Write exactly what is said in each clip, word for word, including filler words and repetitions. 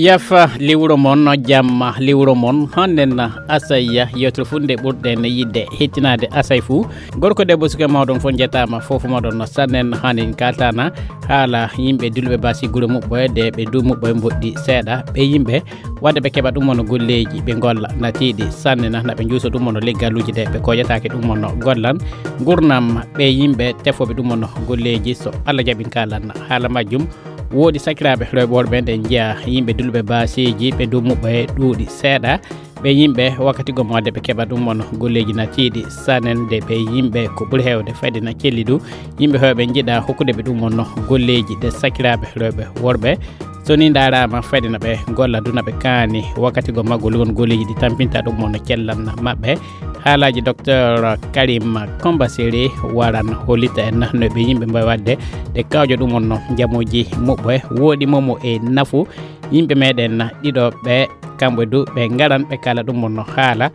Yafa liwro mon, jamma liwro mon. Hannen Asay, yewtere fuu nde ɓurɗen yiɗde hettinaade Asay fuu. Gorko, debbo, suka, mawɗo on fof njettaama, fof moɗon sannen. Hannen kaltana haala yimɓe dulɓe baasi gure muɓɓoye de ɓe du muɓɓoye mboɗɗi seeɗa. Ɓe yimɓe wadde ɓe keɓa ɗum won golleeji, ɓe ngolla na tiiɗi sanne na, na ɓe njuuso ɗum won leggaluuji de ɓe kooƴataake ɗum won gollan. Ngurnam ɓe yimɓe tefooɓe ɗum won golleeji, so Allah jaɓi en kaalan haala majjum. Woodi sakiraaɓe rewɓe worɓe, nde njiya yimɓe dulɓe baasiiji, ɓe du muɓɓoye ɗuuɗi seeɗa. Ɓe yimɓe wakkati gom wadde ɓe keɓa ɗum won golleeji na tiiɗi sanen de ɓe yimɓe ko ɓuri heewde fayde na celli du. Yimɓe heewɓe njiɗa hokkude ɓe ɗum won golleeji de sakiraaɓe rewɓe worɓe. So ni ndaaraama fayde na ɓe golla du na ɓe kaani wakkati gom maggol won golleeji ɗi tampinta ɗum won cellan maɓɓe. Haalaaji Docteur Karim Kombaseri waran hollita en no ɓe yimɓe mbawi wadde de kawjo ɗum won no njamuji muɓɓoye, woɗi momo e nafu yimɓe meɗen ɗiɗo ɓe, kamɓe du ɓe ngaran ɓe kala ɗum won no haala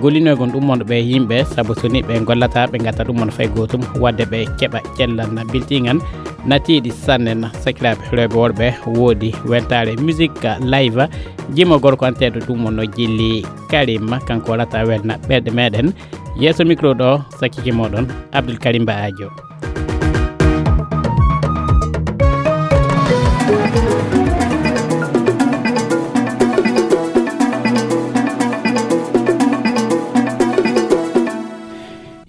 gollinoygol ɗum won ɓe yimɓe, sabu so ni ɓe gollata ɓe ngatta ɗum won fay gootum wadde ɓe keɓa cellan biltiŋan na tiiɗi sannen. Sakiraaɓe rewɓe worɓe, woodi weltaare musique live, jimo gorko anteeɗo ɗum won no jilli Karim, kanko waɗata welna ɓerɗe meɗen. Yeeso micro ɗo, sakkike moɗon Abdoul Karim Ba Adio.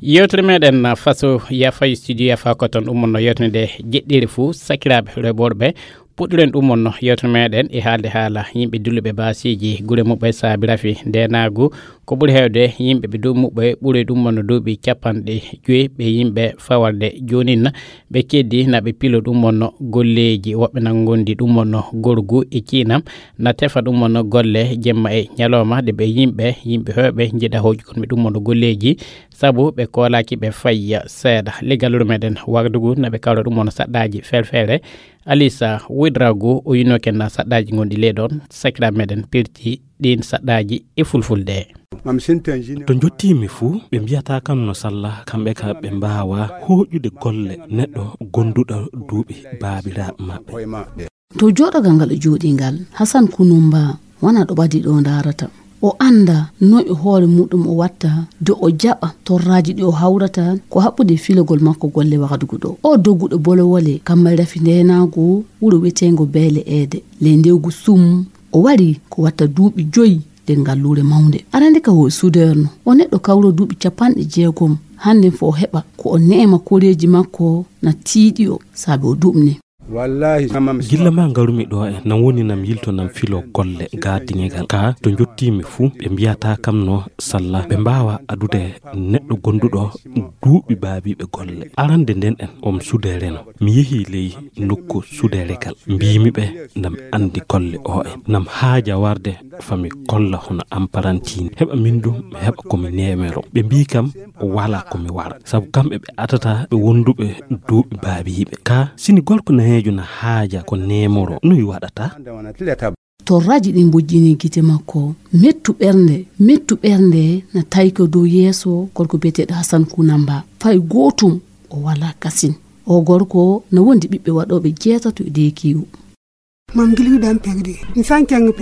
Yewtere meɗen faso yafa studio yafa ko toon ɗum wonno yewtere nde jeɗɗiri fuu, sakiraaɓe rewɓe worɓe, puɗɗiren ɗum wonno yewtere meɗen e haalde haala yimɓe dulluɓe baasiiji gure muɓɓe saabi rafi ndenaagu. Ko ɓuri heewde yimɓe ɓe du muɓɓe ɓuri ɗum wonno duuɓi capanɗe joyi ɓe yimɓe fawarde joonin. Ɓe keddi na ɓe pilo ɗum wonno golleeji, woɓɓe na ngondi ɗum wonno gorgu e ciinam, na tefa ɗum wonno golle jemma e ñalawma, de ɓe yimɓe, yimɓe heewɓe njiɗa hooƴugol mi ɗum wonno golleeji, sabu ɓe koolaaki ɓe fayya seeɗa. Leggal wuro meɗen Wagadugu na ɓe kawra ɗum wonno saɗɗaaji feere-feere. Alisa Widragu o yinoken na saɗɗaaji gonɗi ley ɗon, sakiraaɓe meɗen pirti ɗin saɗɗaaji e fulfulde. To njottiimi fuu, ɓe mbiyata kam no salla, kamɓe ka ɓe mbaawa hooƴude golle neɗɗo gonduɗo duuɓi baabiraaɓe maɓɓe. To jooɗogal ngal o jooɗi ngal, Hasan Kunumba wona ɗo ɓadi ɗo ndaarata. O annda noy o hoore muɗum o watta, de o jaɓa torraaji ɗi o hawrata ko haɓɓude e filogol makko golle Wagadugu ɗo. O dogguɗo bolowole kammal rafi ndeenaagu wuro wiyeteengo Beele Eede. Ley ndewgu sum, o wari ko watta duuɓi joyi nder ngalluure mawnde. Arande ka o soudeur no, o neɗɗo kawro duuɓi capanɗe jeegom. Hannde fo o heɓa ko o neema koreeji makko na tiiɗi o, saabe o duɓne. Gilla ma ngarumi ɗo en, nan woni nam yilto nam filo golle gaadiŋegal. Ka to njottiimi fuu, ɓe mbiyata kam no salla, ɓe mbaawa adude neɗɗo gonduɗo duuɓi baabiiɓe golle. Arande nden en, om sudeere no. Mi yehi ley nokku sudeeregal. Mbiimi ɓe, nam andi golle o en. Nam haaja warde fami kolla hono am parantini. Heɓa min du, mi heɓa ko mi nemero. Ɓe mbii kam, wala ko mi wara. Sabu kamɓe ɓe atata ɓe wonduɓe duuɓi baabiiɓe. Ka sini gorko nayeejo na haaja ko nemoro, noy waɗata? Torraaji ɗin mbojjini gite makko. Mettu ɓernde, mettu ɓernde na tawi ko dow yeeso gorko biyeteeɗo Hasan Kunamba. Fay gootum o wala kasin. O gorko na wondi ɓiɓɓe waɗooɓe jeetato e deekiiwu.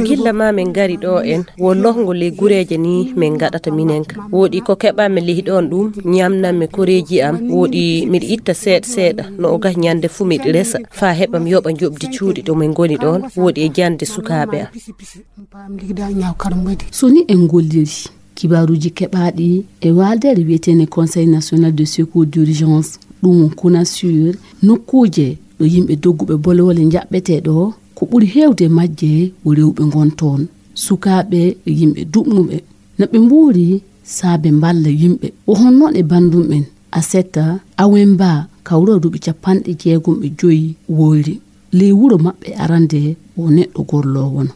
Gilla ma min ngari ɗo en, wo lohngo ley gureeje ni min ngaɗata minen ka. Woɗi ko keɓanmi ley ɗon ɗum, ñamnanmi koreeji am, woɗi miɗo itta seeɗa seeɗa, no o gah ñande fuu miɗo resa, faa heɓa mi yoɓa njoɓdi cuuɗi ɗo min ngoni ɗon, woɗi e jannde sukaaɓe am. So ni en ngolliri kibaaruuji keɓaaɗi e waaldeere wiyeteende Conseil National de Secours d'Urgence, ɗum won CONASUR, nokkuuje ɗo yimɓe dogguɓe bolowole njaɓɓetee ɗo, ko ɓuri heewde e majje wo rewɓe ngon toon, sukaaɓe e yimɓe duɓnuɓe. No ɓe mbuuri saabe mballa yimɓe. Wo honno e banndum en, Aseta Awemba, kawroo duuɓi capanɗe jeegom e joyi woyri. Ley wuro maɓɓe arande wo neɗɗo gorloowo no.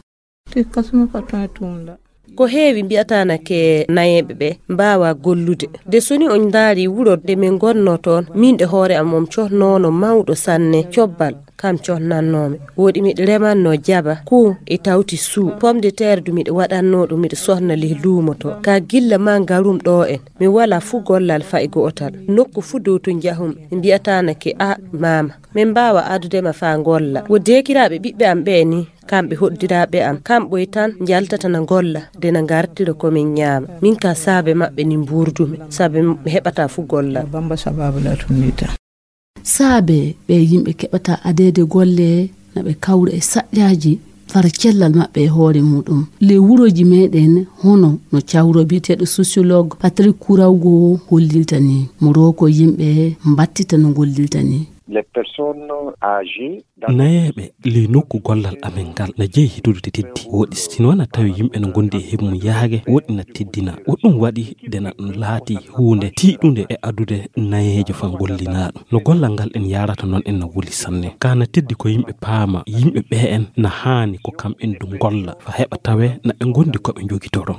Ko heewi mbi'ataa na ke nayeeɓe ɓe mbaawa gollude. De so ni on ndaari wuro nde min ngonnoo toon, miin ɗe hoore am on cohnoono mawɗo sanne cobbal. Kam connannoomi. Woɗi miɗo remannoo jaba, kuu e tawti suu. Pomme de terre du miɗo waɗannoo ɗum, miɗo sonna leh luumo to. Ka gilla maa ngarum ɗoo en, mi walaa fuu gollal fay gootal. Nokku fuu dow to njahum, ɓe mbi'ataanake, "A, maama, min mbaawa adude ma faa ngolla." Wo deekiraaɓe ɓiɓɓe am ɓee nii, kamɓe hoddiraaɓe am, kamɓe tan njaltata na ngolla, de na ngartira ko min nyaama. Min ka saabe maɓɓe ni mbuurdumi, saabe mi heɓataa fuu gollal. Bamba sababu la tunita. Saabe ɓe yimɓe keɓata adeede golle, na ɓe kawra e saƴƴaaji fara cellal maɓɓe e hoore muɗum. Le wurooji meɗen hono no cawro biyeteeɗo sociologue Patrick Kourawgo hollirta ni. Mo roko yimɓe mbattita no gollirta ni. Les personnes âgées dans Nayeeɓe ley nokku gollal amen ngal na jeyi hitude teddi. Woɗi si wona tawi yimɓe no ngondi e heɓu mum yaage, woɗi na teddina. Wo ɗum waɗi de na ɗum laati huunde tiiɗunde e adude nayeejo fan gollinaaɗo. No gollal ngal en yaarata noon en na wuli sanne. Ka na teddi ko yimɓe paama, yimɓe ɓee en na haani ko kam en du ngolla, fa heɓa tawe na ɓe ngondi ko ɓe njogitoro.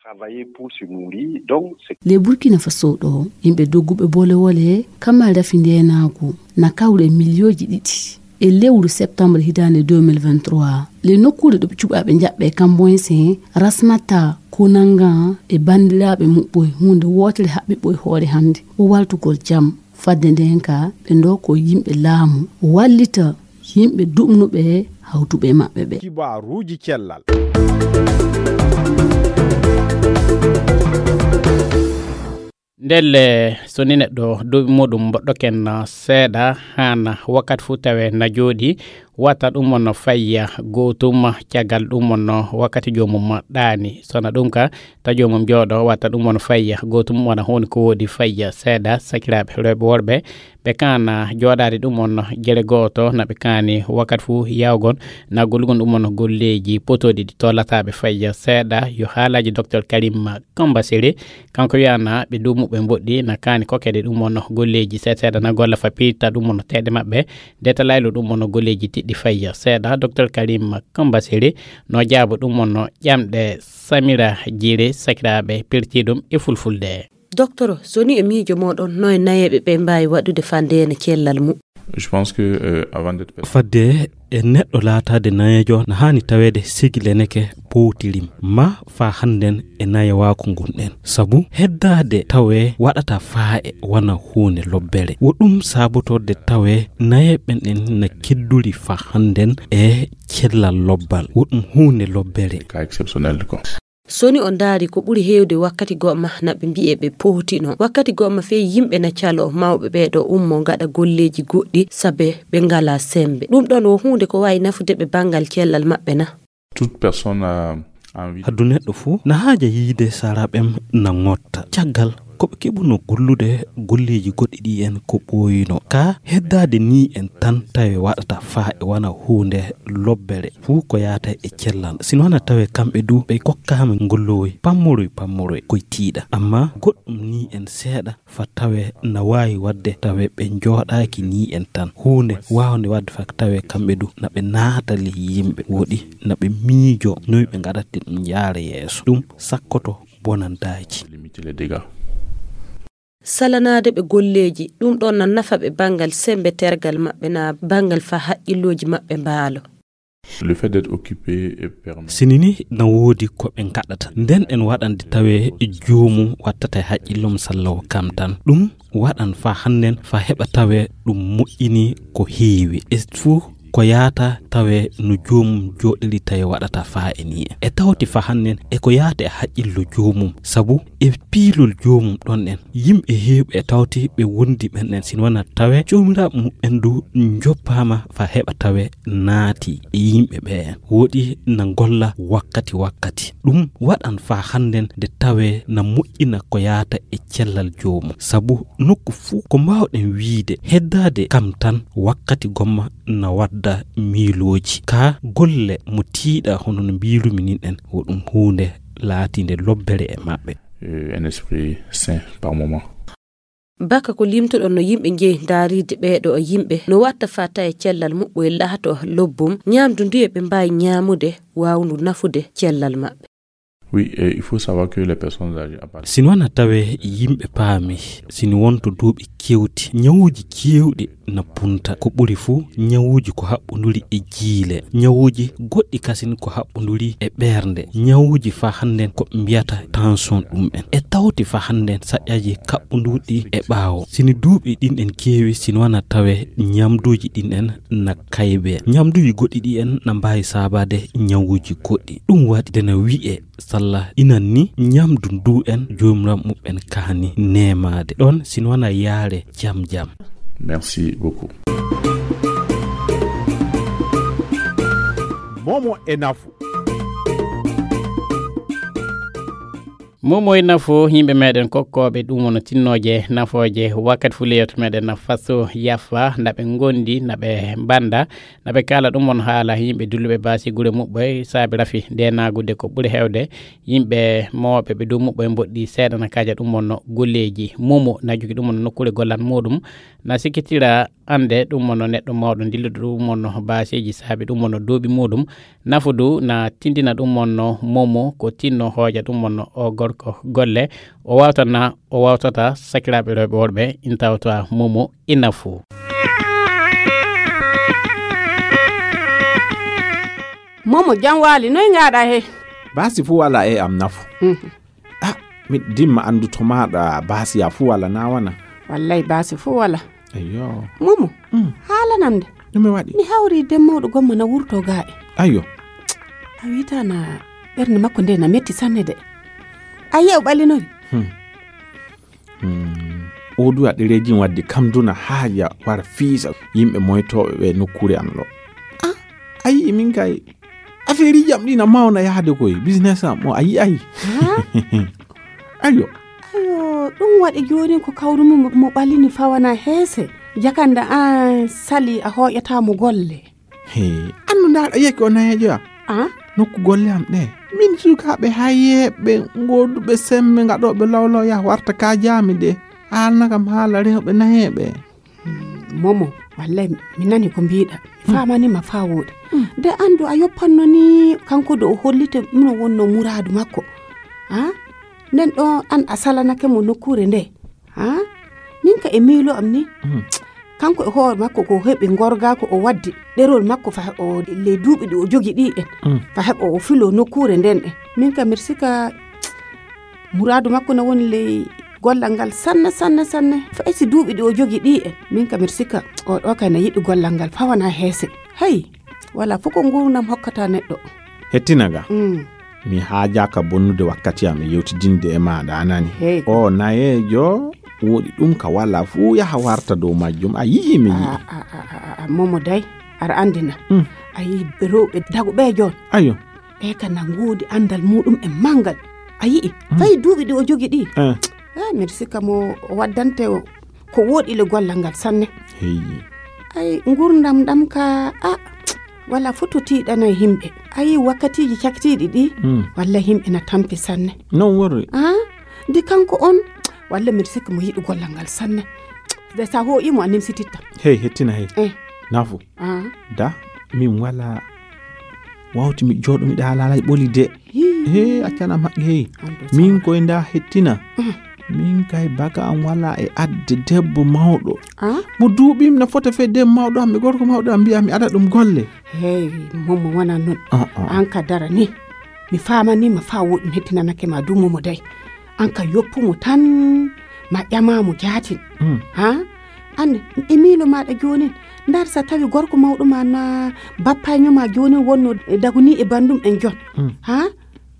Travailler pour se nourrir, donc c'est Le Burkina Faso ɗo, yimɓe dogguɓe bolewole, kamma rafi ndeenaagu, na kawre miliyooji ɗiɗi. E lewru septembre hitaande deux mille vingt-trois, le nokkuure ɗo ɓe cuɓaaɓe njaɓɓe Kamboyse, Rasmata Konanga e banndiraaɓe muɓɓoy huunde wootere haɓɓi ɓoy hoore hannde. O waltugol jam. Fadde nden ka, ɓe ndo ko yimɓe laamu, wallita yimɓe duɓnuɓe hawtuɓe maɓɓe ɓe. Kibaaruuji cellal. Ndelle, so ni neɗɗo duuɓi muɗum mboɗɗoken seeɗa, hana wakkati fuu tawe na jooɗi, wata ɗum on fayya gootum, caggal ɗum on wakkati joomum ɗaani. Sona ɗum ka, ta joomum jooɗo, wata ɗum on fayya gootum, wona huunde ko woodi fayya seeɗa, sakiraaɓe rewɓe worɓe, ɓe kana jooɗaade ɗum on gere gooto, na ɓe kaani wakkati fuu yawgon, na gollugon ɗum on golleeji potooɗi ɗi tollataaɓe fayya seeɗa. Yo haalaaji Docteur Karim Kambasere, kanko wiyaana ɓe duumuɓe mboɗɗi na kaani kokkede ɗum on golleeji seeɗa seeɗa na golla fa piirta ɗum on teeɗe maɓɓe, de ta laylo ɗum on golleeji tiɗɗi fayya seeɗa. Docteur Karim Kambasere no jaabo ɗum on ƴamɗe Samira Jire sakiraaɓe pirti ɗum e fulfulde. Docteur, so ni e miijo moɗon, no e nayeeɓe ɓe mbaawi waɗude fa ndeena cellal mu? Je pense que, euh, avant d'être Fadde e neɗɗo laataade nayeejo, na haani taweede sigi leneke powtirim ma faa hannden e nayewaaku ngun ɗen. Sabu heddaade tawee waɗata faa e wana huunde lobbere. Wo ɗum saabotorde tawee nayeeɓe ɓen ɗen na kedduri faa hannden e cellal lobbal. Wo ɗum huunde lobbere. Cas exceptionnel, quoi. So ni o ndaari ko ɓuri heewde wakkati goɗma na ɓe mbi'e ɓe powtino. Wakkati goɗma fey yimɓe na caloo mawɓe ɓee ɗo ummoo ngaɗa golleeji goɗɗi sabe ɓe ngalaa semmbe. Ɗum ɗon wo huunde ko waawi nafude ɓe banngal cellal maɓɓe na? Toute personne a envie. Haddu neɗɗo fuu na haaja yiide sara ɓen na ŋotta. Caggal ko ɓe keɓuno gollude golleeji goɗɗi ɗi en ko ɓooyino. Ka heddaade ni en tan tawe waɗata faa e wana huunde lobbere fuu ko yaata e cellal. Sino wana tawe kamɓe du ɓe kokkaama ngollowoy pammoroy pammoroy koye tiiɗa. Amma goɗɗum ni en seeɗa fa tawe na waawi waɗde tawe ɓe njooɗaaki ni en tan. Huunde waawnde waɗde fa tawe kamɓe du na ɓe naata ley yimɓe woɗi na ɓe miijo noy ɓe ngaɗatte ɗum yaara yeeso. Ɗum sakkoto bonandaaji. Limiter les dégâts. Salanaade ɓe golleeji, ɗum ɗon na nafa ɓe banngal semmbe tergal maɓɓe na banngal fa haqqillooji maɓɓe mbaalo. Le fait d'être occupé et permet. Sini ni na woodi ko ɓe ngaɗata. Nden en waɗande tawe joomum wattata e haqqillum sallawo kam tan. Ɗum waɗan fa hannden fa heɓa tawe ɗum moƴƴini ko heewi. E fuu ko yaata tawe no joomum jooɗiri tawi waɗata fa e ni en. E tawti fa hannden e ko yaata e haqqillo joomum. Sabu e piilol joomum ɗon en. Yimɓe heewɓe e tawti ɓe wondi ɓen en sino wona tawe joomiraaɓe muɓɓen du njoppaama fa heɓa tawe naati e yimɓe ɓe en. Woɗi na ngolla wakkati wakkati. Ɗum waɗan fa hannden nde tawe na moƴƴina ko yaata e cellal joomum. Sabu nokku fuu ko mbaawɗen wiide heddaade kam tan wakkati gomma na wadda miilooji. Ka golle mo tiiɗa hono no mbiirumi nin en, wo ɗum huunde laatiinde lobbere e maɓɓe. Euh, un esprit sain par moment. Baka ko limtuɗon no yimɓe njehi ndaariide ɓeeɗo e yimɓe, no watta fata e cellal muɓɓoye laato lobbum, ñaamdu nduye ɓe mbaawi ñaamude waawndu nafude cellal maɓɓe. Oui, et il faut savoir que les personnes âgées, à partir si noon a tawe yimɓe paami, si ni wonto duuɓi kewti, ñawuuji keewɗi na punta. Ko ɓuri fuu, ñawuuji ko haɓɓunduri e jiile, ñawuuji goɗɗi kasin ko haɓɓunduri e ɓernde, ñawuuji fa hannden ko mbiyata tension ɗum en. E tawti fa hannden saƴƴaji kaɓɓunduɗi e ɓaawo. Si ni duuɓi ɗin en keewi, si ni wana tawe ñamduuji ɗin en na kaybe. Ñamduuji goɗɗi ɗi en na mbaawi saabaade ñawuuji goɗɗi. Ɗum waɗi nde na wi'e salla inan ni ñamdu ndu en joomiram muɓɓen kaani neemaade. Ɗon si ni wana yaare jam jam. Merci beaucoup. Momo e nafu. Momo e nafu, yimɓe meɗen kokkooɓe ɗum wono tinnooje, nafooje, wakkati fuu leyot meɗen na faso yafa, na ɓe ngondi, na ɓe mbanda, na ɓe kaala ɗum won haala yimɓe dulluɓe baasi gure muɓɓoy, saabi rafi nde naagude ko ɓuri heewde, yimɓe mawɓe ɓe dow muɓɓoy mboɗɗi seeɗa na kaaja ɗum wonno golleeji. Momo na jogi ɗum wonno nokkuure gollan muɗum, na sikkitira annde ɗum wonno neɗɗo mawɗo dilluɗo ɗum wonno baaseeji saabi ɗum wonno duuɓi muɗum. Nafudu na tindina ɗum wonno Momo ko tinno hooƴa ɗum wonno o gorko golle. O wawtana, o wawtata sakiraaɓe rewɓe worɓe in tawta Momo e nafu. Momo, jam waali, noy ngaɗa he? Baasi fuu wala e am nafu. Mhm. Ah, mi dimma anndu to maaɗa baasi ya fuu wala na wana? Wallay baasi fuu wala. Eyyo. Momo, mm, haalanam nde. Ɗume waɗi? Mi hawri den mawɗo gomma na wurto gaa'e. Ayyo. A wi'ata na ɓernde makko nde na metti sanne de. A yi'a o ɓalinori. Hmm. Hmm. O duwa ɗereeji wadde kam duna haaja wara fiisa yimɓe moytooɓe ɓe nokkuure am ɗo. Ah, a yi'i min kay. Afeeriji am ɗi na mawna yahde koy, business am o a yi'ay. Ha? Ayo. Ayo, ɗum waɗi jooni ko kawru mo, mo ɓalini fawana heese. Jakanda an sali a hooƴata mo golle. He, annu ndaar a yekki o nayeejo ya? Ah? Nokku golle am ɗe. Min sukaaɓe hayeeɓe, gooduɓe semme, ngaɗooɓe lawlaw ya warta ka jaami de. Haalna kam haala rewɓe nayeeɓe. Momo, wallay mi nani ko mbiɗa. Mi faamani ma faa wooɗi. Mm. De anndu a yoppanno ni kanko do o hollite mino wonno muraadu makko. Ha? Nden ɗo an a salanake mo nokkuure nde. Ha? Min ka e miilo am ni. Mm. Kanko e hoore makko ko heɓi ngorga ko o waddi ɗerol makko fa o le duuɓi ɗi o jogi ɗi en. Mm. Fa heɓo o filo nokkuure nden en. Min ka mirsika muraadu makko na woni ley gollal ngal sanne, sanne, sanne. Fay si duuɓi ɗi o jogi ɗi en. Min ka miɗo sikka o ɗo kay na yiɗi gollal ngal fawana heese. Hey, wala fof ko nguurndam hokkata neɗɗo. Hettina ga. Mm. Mi haajaaka bonnude wakkati am e yewtidinde e maaɗa, a nani? Hey. O nayeejo woɗi ɗum ka wala fuu yaha warta dow majjum. A yi'i mi yi'i. A, a, a, a, a, Momo day, aɗa anndi na. Mm. A yi'i rewɓe daguɓe joon. Ayo. Ɓe ka na ngoodi anndal muɗum en manngal. A yi'i, mm, fay duuɓi ɗi o jogi ɗi. Eh. Eh, miɗo sikka mo o waddante o, ko woɗi le gollal ngal sanne. Hey. Ay, ngurndam ɗam ka, a, wala fof to tiiɗana yimɓe. A yi'i wakkatiiji cakitiiɗi ɗi, mm, walla yimɓe na tampi sanne. Non worri. Ah, ndi kanko on, walla miɗo sikka mo yiɗi gollal ngal sanne. De sa hooƴi mo a nimsititta. Hey, hettina hey. Eh. Nafu. Ah. Da, min wala wawti mi jooɗo miɗa haalaalay ɓoli de. Hii. He, accana maɓɓe hey. Andu min sawara. Koye nda hettina. Mm. Min kay baga am wala e adde debbo mawɗo. Ah? Mo duuɓim na fota fe debbo mawɗo am e gorko mawɗo am mbiya mi ada ɗum golle. Hey, Momo wona non. Ah, ah. An ka dara ni. Mi faamani ma faa woɗɗum hettinanake ma du Momo day. An ka yoppu mo tan ma ƴama mo jaatin. Mm. Ha? An e miilo maɗa joonin. Ndar sa tawi gorko mawɗo ma na bappaño ma joonin wonno daguni e bandum en jon. Mm. Ha?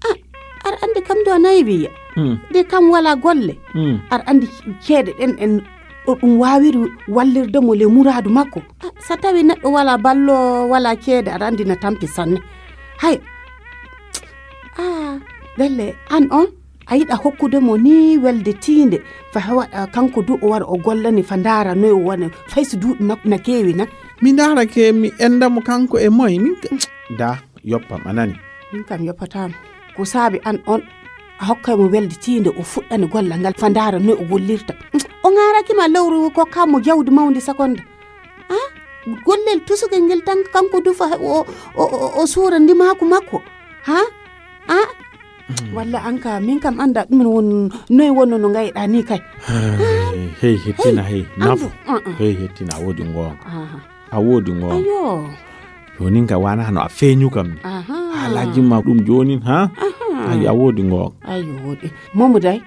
Ah, aɗa anndi kam do nayi wiya. Mm. De kam wala golle. Mm. Aɗa anndi ceede ɗen en o ɗum waawiri wallirde mo le muraadu makko. Ah, so tawi neɗɗo wala ballo, wala ceede, aɗa anndi na tampi sanne. Hay. Ah, ɗelle an on, a yiɗa hokkude mo ni welde tiinde. Fa waɗa kanko du o wara o gollani fa ndaara noy o wona, fay so duuɓi makko na keewi na. Mi ndaara ke, mi enda mo kanko e moy, min ka-, da, yoppam, a nani? Min kam yoppataama. Ko saabi an on, a hokkay mo welde tiinde o fuɗɗani gollal ngal fa ndaara noy o gollirta. O ŋaaraki ma lewru kokka mo jawdi mawndi sakonda. Ah? Gollel tusugel ngel tan kanko du fa o, o, o, o suura ndimaaku makko. Ha? Ah? Walla an ka, min kam annda ɗum won, noy wonno no ngayɗa ni kay. Hey, hey, hettina, hey, nafu. Andu, uh, uh. Hey, hettina, a woodi ngoonga. Aha. A woodi ngoonga. Ayo. Jonin ka wana no a feeñu kam ni. Aha. Haalaaji ma ɗum jonin, ha? Aha. Ayo, a woodi ngoonga. Ayo, woodi. Momo day.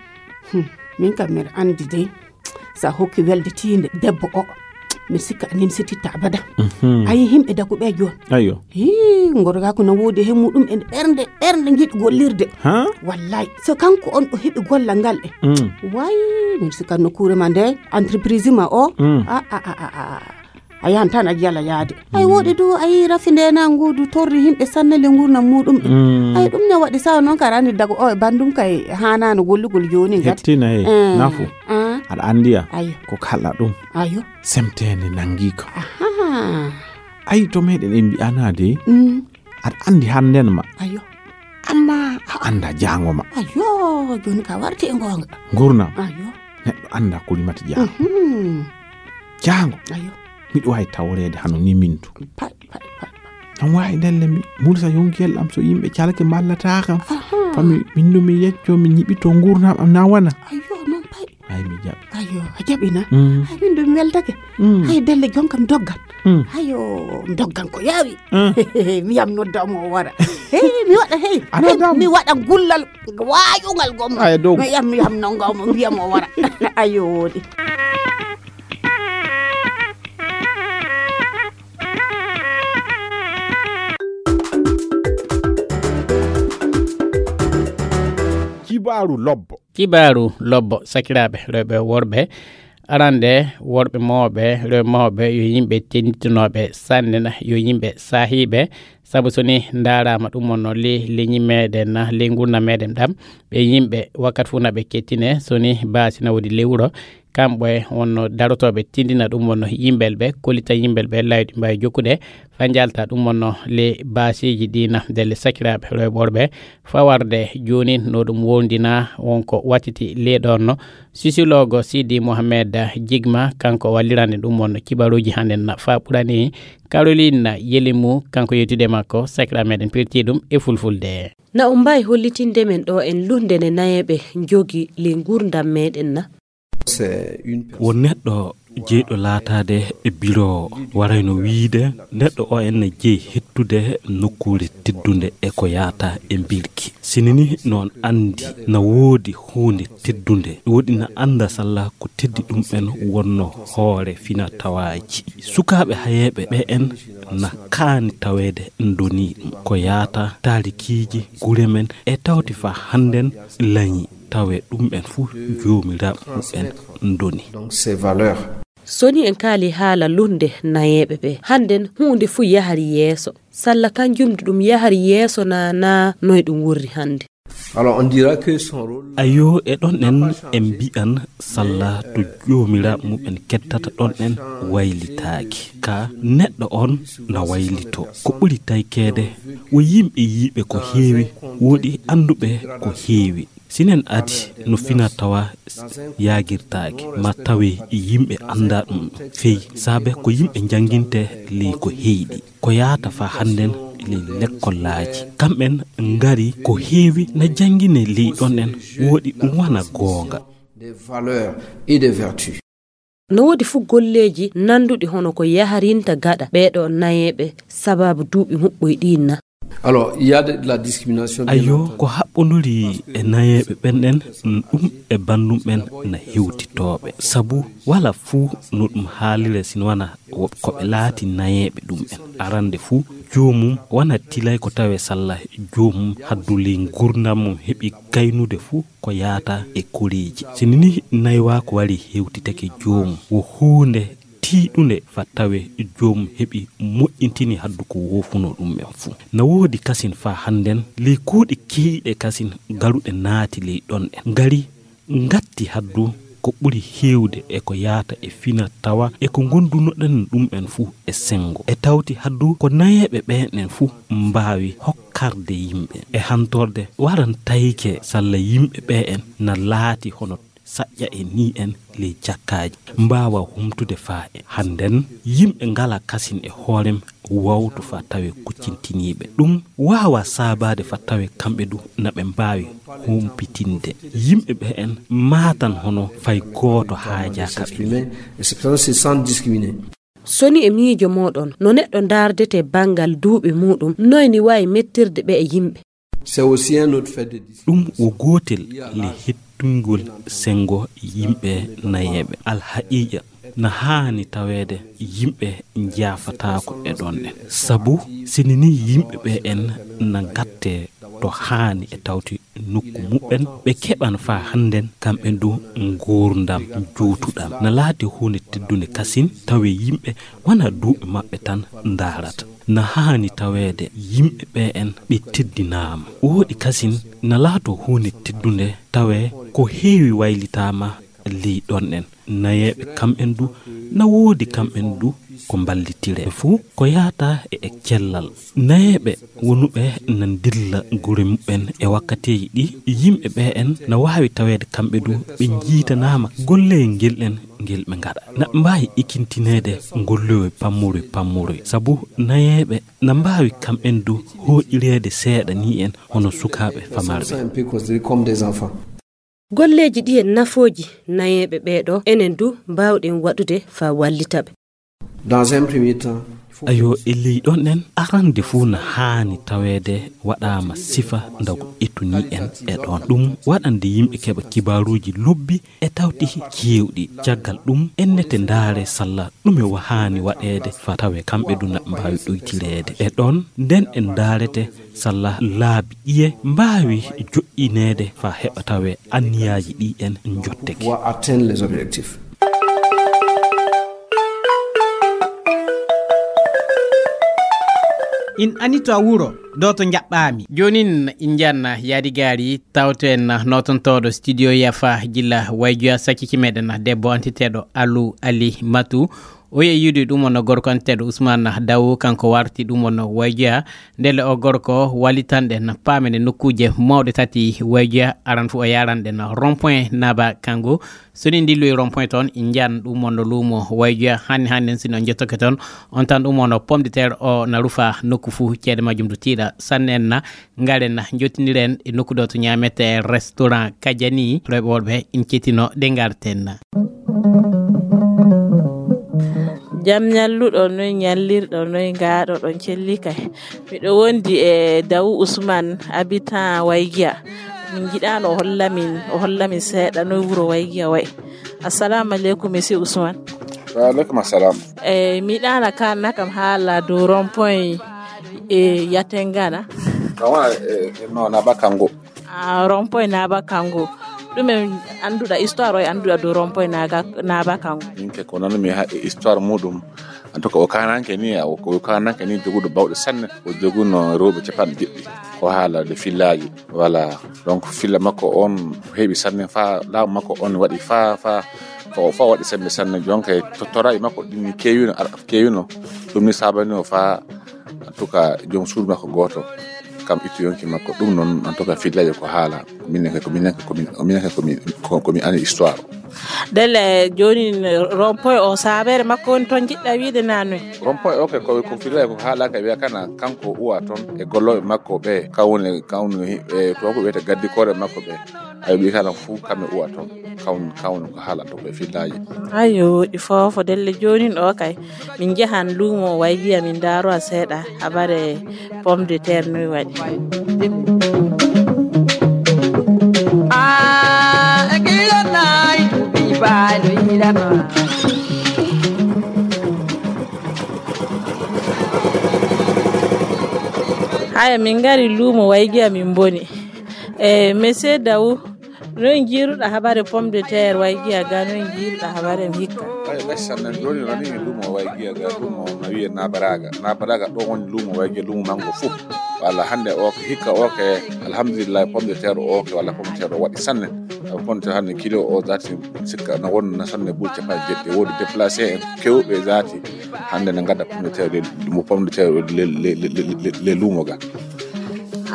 Hmm. Min kam mbiɗa anndi dey, so a hokki welde tiinde debbo o, mi sikka a nimsititta abada. Mhm. A yi himɓe dagu ɓe jooni. Ayo. Hii, gorgaaku na woodi he muɗum en ɓernde, ɓernde njiɗi gollirde. Ha? Wallaay, so kanko on o heɓi gollal ngal e. Mm. Way, mi sikka nokkuure ma nde, entreprise ma o. Mm. A, a, a, a, a. A yahan tan a jala yaade. Ay, mm, woɗi du, ay, rafi nde na ngudu torri himɓe sanne le ngurnam muɗum. Mm. Ay, ɗum ne waɗi sawa noon kara ni dago o e bandum kay hanano gollugol joni ngati. Hettina he, eh, nafu. Ah. Aɗa andiya? Ayo. Ko kala ɗum. Ayo. Semtende nangi ko. Aha. Ay, to meɗen en mbi'ana de. Mm. Aɗa andi handen ma. Ayo. Amma a anda jango ma. Ayo, joni ka warti e ngonga. Ngurnam. Ayo. Neɗɗo anda ko limata jango. Mhm. Jango. Ayo. Miɗo wawi tawreede hano ni min du. Pay, pay, pay, pay. An wawi ndelle mi mulsa yonkiyel am so yimɓe calke mballata kam. Aha. Fami min du mi yecco mi ñiɓito ngurnam am na wana. Ayo, non pay. Ay, mi jaɓi. Ayo, a jaɓi na? Mm. Ay, min du mi weltake. Mm. Ay, ndelle jonkam doggan. Mm. Ayo, mi doggan ko yawi. Mm. Mi yam nodda mo o wara. Hey, mi waɗa hey. A nodda mo? Mi waɗa gullal wayungal gomma. Ay, dow. Mi yam, mi yam nonga mo, mbiya mo o wara. Ayo, woɗi. Kibaaru lobbo. Kibaaru lobbo, sakiraaɓe rewɓe worɓe. Arande, worɓe mawɓe, rewɓe mawɓe, yo yimɓe tenditinooɓe sanne na, yo yimɓe saahiiɓe. Sabu so ni ndaaraama ɗum wonno le leñi meɗen na, le ngurndan meɗen ɗam, ɓe yimɓe wakkati fof na ɓe kettine, so ni baasi na woodi le wuro, kamɓe wonno darotooɓe tindina ɗum wonno yimɓel ɓe, kollita yimɓel ɓe laawi ɗi mbaawi jokkude, faa njalta ɗum wonno le baasiiji ɗi na, ndelle sakiraaɓe rewɓe worɓe, fawarde jooni no ɗum wondina wonko wattiti le ɗon no, Sisilogo Sidi Mohamed Jigma, kanko wallirande ɗum wonno kibaruuji hannde na faa ɓurani Caroline Yelimu, kanko yewtude makko, sakiraaɓe meɗen pirti ɗum e fulfulde. Na on mbaawi hollitinde men ɗo en luhnde nde nayeeɓe njogi ley nguurndam meɗen na? Won neɗɗo jeyɗo laataade e biro warayno wiyde neɗɗo o en ne jeyi hettude nokkuure teddunde e ko yaata e mbirki. Sini ni noon anndi na woodi huunde teddunde, woodi na annda salla ko teddi ɗum en wonno hoore fina tawaaji. Sukaaɓe hayeeɓe ɓe en na kaani taweede ndoni ɗum. Ko yaata taarikiiji gure men e tawti faa hannden lañi tawe ɗum en fuu joomiraaɓe muɓɓen ndoni. Donc, ces valeurs. So ni en kaali haala luhnde nayeeɓe ɓe, hannden huunde fuu yahari yeeso. Salla kanjum ɗum yahari yeeso na, na noy ɗum wurri hannde? Alors, on dira que son rôle. Ayo, e ɗon en, en mbi'an salla to joomiraaɓe muɓɓen kettata ɗon en waylitaaki. Ka neɗɗo on na waylito. Ko ɓuri taykeede, wo yimɓe yiiɓe ko heewi, woodi annduɓe ko heewi. Sinen adi no fina tawa yaagirtaake, ma tawe yimɓe annda ɗum fey, saabe ko yimɓe njannginte ley ko heyɗi. Ko yaata faa hannden ley lekkollaaji. Kamɓen ngari ko heewi na janngine ley ɗon en, woodi ɗum wana goonga. Des valeurs et des vertus. No woodi fuu golleeji nannduɗi hono ko yaharinta gaɗa ɓeeɗo nayeeɓe sababu duuɓi muɓɓoy ɗiin na? Alors, il y a de, de la discrimination, bien entendu. Ayo, ko haɓɓonduri e nayeeɓe ɓen ɗen, ɗum e banndum ɓen na hewtitooɓe. Sabu wala fuu no ɗum haalire sino wana wo-, ko ɓe laati nayeeɓe ɗum ɓen. Arande fuu, joomum wana tilay ko tawe salla joomum haddu ley ngurndan mum heɓi gaynude fuu ko yaata e koreeji. Sini ni naywaaku wari hewtitake joomum, wo huunde tiiɗunde faa tawe joomum heɓi moƴƴintini haddu ko woofunoo ɗum en fuu. Na woodi kasin faa hannden ley kuuɗe keeriiɗe kasin garuɗe naati ley ɗon en. Ngari ngatti haddu ko ɓuri heewde e ko yaata e fina tawa e ko ngondunoɗen ɗum en fuu e senngo. E tawti haddu ko nayeeɓe ɓeen en fuu mbaawi hokkarde yimɓe e hantorde waran tayke salla yimɓe ɓe en na laati hono saƴƴa e ni en ley jakkaaji mbaawa humtude faa en. Hannden yimɓe ngala kasin e hoorem wawto fa tawe kuccintiniiɓe. Ɗum waawa saabaade fa tawe kamɓe du na ɓe mbaawi humpitinde. Yimɓe ɓe en maatan hono fay gooto haajaaka ɓe. Soni e miijo mooɗon, no neɗɗo ndaardete banngal duuɓi muuɗum, noy ni waawi mettirde ɓe e yimɓe? Ɗum wo gootel le hettungol senngo yimɓe nayeeɓe. Alhaqiiqa, na haani taweede yimɓe njaafataako e ɗon ɗen. Sabu sini ni yimɓe ɓe en na ngattee to haani e tawti nokku muɓɓen, ɓe keɓan faa hannden kamɓe du nguurndam juutuɗam. Na laati huunde teddunde kasin tawe yimɓe wana duuɓi maɓɓe tan ndaarata. Na haani taweede yimɓe ɓe en ɓe teddinaama. Wooɗi kasin na laato huunde teddunde tawe ko heewi waylitaama ley ɗon en. Nayeeɓe kamɓen du na woodi kamɓen du ko mballitire fuu ko yaata e e cellal. Nayeeɓe wonuɓe na ndilla gure muɓɓen e wakkateeji ɗi yimɓe ɓe en na waawi taweede kamɓe du ɓe njiitanaama golleyel ngel en ngel ɓe ngaɗa. Na mbaawi ikintineede ngollowe pammore pammore sabu nayeeɓe na mbaawi kamɓen du hooƴireede seeɗa ni en hono sukaaɓe famarɓe. Golleeji ɗi e nafooji nayeeɓe ɓee ɗo enen du mbaawɗen waɗude faa wallita ɓe. Ayo e ley ɗon en arande fuu na haani taweede waɗaama sifa ndago etuni en e ɗon ɗum waɗande yimɓe keɓa kibaaruuji lobbi e tawti keewɗi. Caggal ɗum ennete ndaare salla ɗume wahaani waɗeede fa tawe kamɓe du na mbaawi ɗoytireede e ɗon nden en ndaarete salla laabi ɗiye mbaawi joɗɗineede fa heɓa tawe anniyaaji ɗi en njotteke. In anito a wuro doto jaɓɓaami. Joonin in njanna yaadi gaari tawto en nootontooɗo studio yafa gilla wayjoya sacciki meɗen debbo antiteeɗo Alu Ali Matu. O yehi yiidude ɗum on gorko anteeɗo Usmaan Dawu, kanko warti ɗum on wayjoya. Ndelle o gorko wallitanɗen paamen e nokkuuje mawɗe tati wayjoya. Aran fof o yaranɗen rond point Naba Kango. So ni ndilloyi rond point toon, njan ɗum on luumo wayjoya. Hanni hanni en sino jettoke toon, on tan ɗum on pomme de terre o na rufa nokku fuu, ceede majjum du tiiɗa sanne en na. Ngaren jottiniren e nokku ɗo to ñaamete restaurant Kajani. Rewɓe worɓe in cettino ɗe ngarten. Jam ñalluɗo noy ñallirɗo noy ngaaɗo ɗon celli kay. Miɗo wondi e Dawu Usman, habitan Waygiya. Min njiɗaano o hollamin o hollamin seeɗa noy wuro Waygiya wayi. Assalamu aleykum monsieur Usman. Wa aleykum assalam. E miɗaana kanna kam haala dow rond point e Yatengana. Kawa e no na bakango. Ah, rond point Naba Kango. Ɗumen annduɗa histoire o e annduɗa dow rond point Naba Kango? Min ke ko nanumi ha e histoire muɗum. En tout cas o kananke ni o kananke ni joguɗo bawɗe sanne, o joguno rewɓe capanɗe jeɗɗi. Ko haala de fillaji. Voilà. Donc filla makko on heɓi sanne fa laamu makko on waɗi fa fa fa o fa waɗi sembe sanne. Jonka e toraji makko ɗin ni kewino ar kewino. Ɗum ni sabani o fa en tout cas joom suudu makko gooto. Kam ittu yonki makko ɗum noon en tout cas fillaji ko haala. Minen kay ko minen kay ko min minen kay ko min ko ko mi ani histoire. Delle joni rond point o sabere makko woni toon jiɗɗa wiide nanoy? Rond point o kay ko ko fillaji ko haala kay wiya kana kanko uwa toon e golloɓe makko ɓe kawne kawne e to ko wiyete gaddikore makko ɓe. Ay ɓi kala fuu kamɓe uwa toon. Kawn kawn ko haalata ko e fillaji. Ayo ɗi fofo delle jonin o kay. Min njahan luumo wayjiya min ndaaro a seeɗa habare pomme de terre noy waɗi. Haya min ngari luumo wayjiya min mboni. E monsieur Dawu, noy jiiruɗa habare pomme de terre way giya ga noy jiiruɗa habare hikka? Ay gassan nan joni rani mi lumo way giya ga lumo na wiye nabaraga nabaraga ɗo woni lumo way giya lumo mango fof. Walla hande o hikka o ke alhamdulillah pomme de terre o ke walla pomme de terre o waɗi sanne. Pomme de terre hande kilo o dati sikka na wonna sanne bul capanɗe jeɗɗi wodi déplacé en kewɓe dati hande na gadda pomme de terre mo pomme de terre le lumo ga.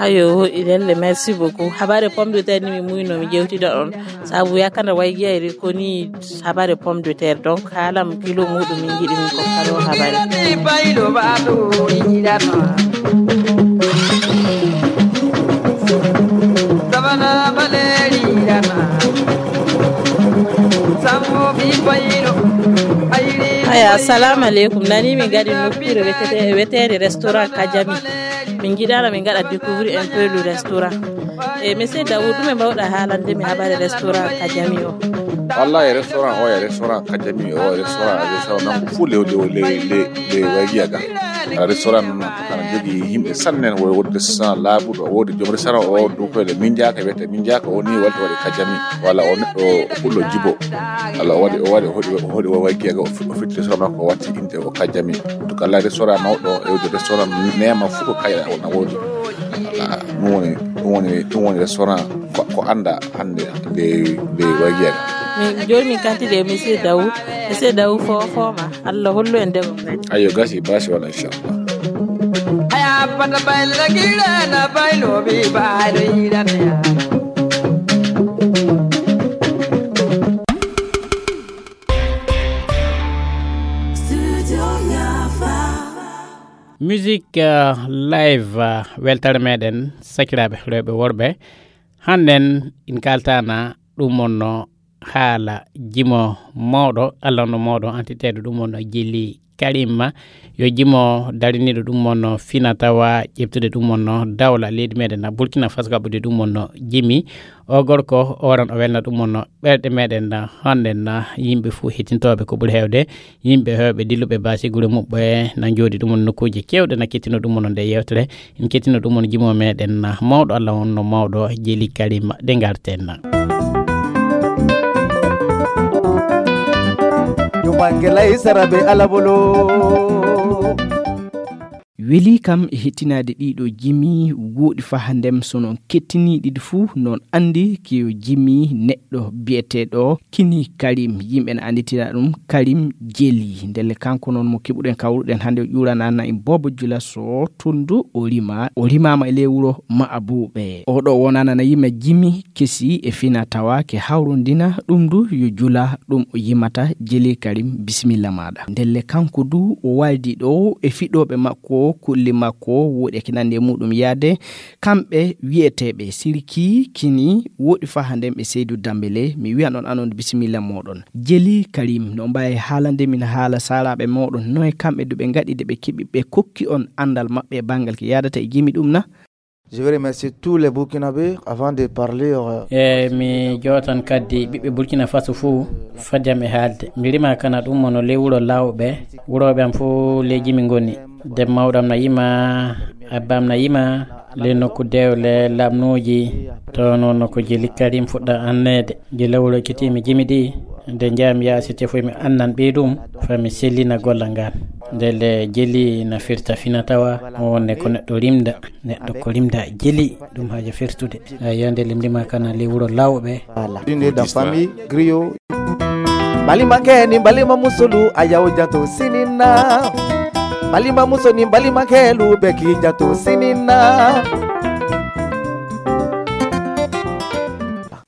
Ayo, hoɗi lelle, merci beaucoup. Habare pomme de terre ni mi muyno mi jewtida on. Sabu yakana way jeyri ko ni habare pomme de terre. Donc halam kilo muɗum min jiɗi min ko karo habare. Aya, assalamu alaikum. Nani mi gadi nokkure wetete, wetede restaurant Kajami. Min jiɗano min gaɗa découvrir un peu le restaurant. E monsieur Daoud, ɗume mbawɗa haalande mi habare restaurant Kajami o? Wallahi, restaurant o e restaurant Kajami o e restaurant, restaurant nangu fuu lew lew lew lew lew waygiya ga. Restaurant non kana jogi yimɓe sanne, woni wonde restaurant laabuɗo, wodi joom restaurant o ɗum koyle min jaka wiyete min jaka o ni walti waɗi Kajami. Walla o neɗɗo o ɓullo jibo. Walla o waɗi o waɗi o hoɗi o hoɗi o waygiya ga o fi- o fitti restaurant makko o watti inde o Kajami. Donc Allah, restaurant mawɗo e wodi restaurant nema fuu ko kayɗa wona wodi. Wala ɗum woni ɗum woni ɗum woni restaurant ko, ko anda hande de de waygiya ga. Min joni min kanti de monsieur Daoud. Monsieur Daoud fofoma. Allah hollu en debbo men. Ayo gasi basi wala inchallah. Aya pata bayla gila na baylo bi baylo ila me. Musique, euh, live, euh, weltare meɗen sakiraaɓe rewɓe worɓe. Hannden in kaltana ɗum wonno haala jimo mawɗo, Allah no mawɗo antiteeɗo ɗum wonno Jeli Karim. Yo jimo dariniiɗo ɗum wonno fina tawa ƴeftude ɗum wonno dawla leydi meɗen na Burkina Faso kaɓɓude ɗum wonno jimi. O gorko o waran o welna ɗum wonno ɓerɗe meɗen na hannden na yimɓe fuu hettintooɓe ko ɓuri heewde. Yimɓe heewɓe dilluɓe baasi gure muɓɓe na jooɗi ɗum won nokkuuji keewɗe na kettino ɗum won nde yewtere. En kettino ɗum won jimo meɗen na mawɗo Allah wonno mawɗo Jeli Karim de ngarten na. Yo bange lay sarabe alabolo. Weli kam e hettinaade ɗiɗo jimi woɗi faha ndem so noon kettiniiɗi ɗi fuu noon anndi kiyo jimi neɗɗo biyeteeɗo Kini Karim, yimɓe na annditira ɗum Karim Jeli. Ndelle kanko noon mo keɓuɗen kawruɗen hannde o ƴuuranaana en Boobo Jula so tundu o rima, o rimaama e ley wuro Maabuuɓe. Oɗo wonana na yima jimi kesi e fina tawa ke hawrondina ɗum du yo jula ɗum o yimata Jeli Karim bisimilla maɗa. Ndelle kanko du o waldi ɗo e fiɗoɓe makko kulli makko woɗi e ke nandi e muɗum yaade kamɓe wiyeteɓe sirki kini woɗi faha nden ɓe Seydou Dambélé mi wiyan on anon bisimilla moɗon. Jeli Karim no mbawi haalande min haala saraɓe moɗon noye kamɓe du ɓe gaɗi de ɓe keɓi ɓe kokki on andal maɓɓe e bangal ke yadata e jimi ɗum na? Je vais remercier tous les Burkinabés avant de parler. Euh, e mi jootan kaddi ɓiɓɓe Burkina Faso fuu fadde am e haalde. Mi rima kana ɗum mono ley wuro Lawɓe. Wurooɓe am fuu ley jimi ngoni. Dem mawɗo am na yima, abba am na yima, ley nokku dewle lamnuuji. To noon no ko Jeli Karim fuɗɗa anneede. Gila wuro ekkitiimi jimi ɗi, nde njaami yaasi tefoy mi annan ɓey ɗum, fa mi sellina golla ngaan. Ndele Jeli na firta fina tawa, mo wonne ko neɗɗo rimda. Neɗɗo ko rimda Jeli ɗum haaja fertude. Eyi, yande limdima kana ley wuro Lawɓe. Voilà. Une dans famille griot. Balima keni balima musulu a yaw jato sinina. Balima musoni balima kelu beki jato sinina.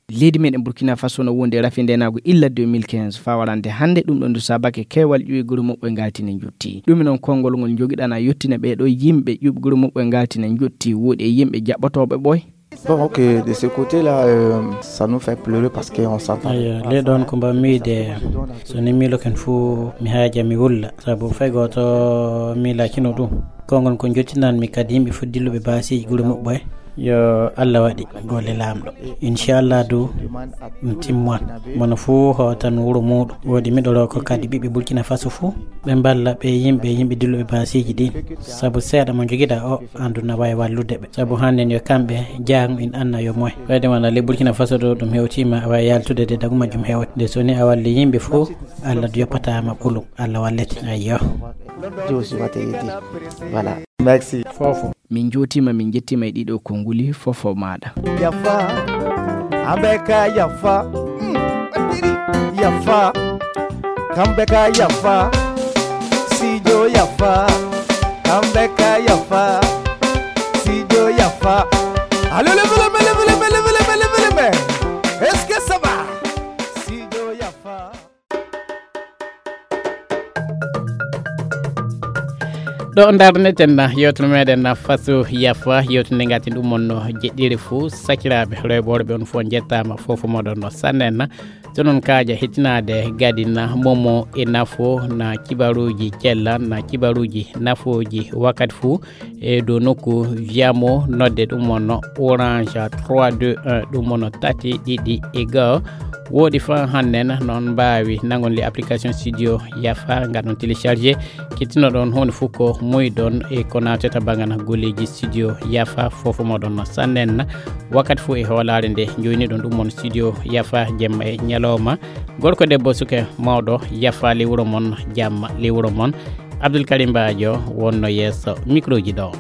Leydi meɗen Burkina Faso no wondi e rafi ndenagu illa deux mille quinze fa warande hannde. Ɗum ɗon du sabake keewal ƴuwi gure muɓɓe ngaltine jotti. Ɗumi noon konngol ngol jogiɗana yottina ɓeeɗo yimɓe ƴuɓi gure muɓɓe ngaltine jotti woɗi e yimɓe jaɓɓotooɓe ɓoy. Bon, ok, de ce côté-là, euh, ça nous fait pleurer parce qu'on s'entend. Eyo, ley ɗon ko mbammi de so ni miiloken fuu mi haaja mi wulla sabu fay gooto miilakino ɗum. Konngol ko jottinanmi kadi yimɓe fof dilluɓe baasiiji gure muɓɓe. Yo Allah waɗi golle laamɗo. Inchallah du ɗum timmoan. Mono fuu hootan wuro muuɗum. Woodi miɗo roko kadi ɓiɓɓe Burkina Faso fuu ɓe mballa ɓe yimɓe yimɓe dilluɓe baasiiji ɗin. Sabu seeɗa mo jogiɗa o andu na wawi wallude ɓe. Sabu hannden yo kamɓe jaaŋ in anna yo moy. Kadi wona le Burkina Faso ɗo ɗum hewtima awa yaltude de dagu majjum hewde. Nde so ni a walli yimɓe fuu Allah du yoppatama ɓulum. Allah wallete. Ayyo. Josi wata yedi. Voilà. Merci. Fofo. Min jotima min jettima e ɗiɗo konguli fofo maɗa. Yafa. Ambeka yafa. Mm. Yafa. Kambeka yafa. Sijo yafa. Kambeka yafa. Sidio Yafa. Allô, levez les mains, levez les mains, levez les mains, levez les mains. Est-ce que ça va? Sidio Yafa. Ɗo darneten na yewtere meɗen na faso yafa yewtinde ngatin ɗum on no jeɗɗiri fuu sakiraaɓe rewɓe worɓe on fof njettaama fof moɗon no sannen na. To noon kaaja hettinaade gadina momo e nafo na kibaruuji cella na kibaruuji nafooji wakkati fuu e dow nokku viyamo nodde ɗum wonno orange trois deux un ɗum wonno tati ɗiɗi e goo. Woɗi fa hannden noon mbaawi nangon le application studio yafa ngaɗon téléchargé kittinoɗon huunde fof ko muyɗon e ko naatata bangana golleeji studio yafa fof moɗon sannen wakkati fof e hoolaare nde joyniɗon ɗum on studio yafa jemma e ñalawma. Gorko debbo suka mawɗo yafa lewuro mon jamma lewuro mon. Abdoul Karim Badio wonno yeeso microji ɗo.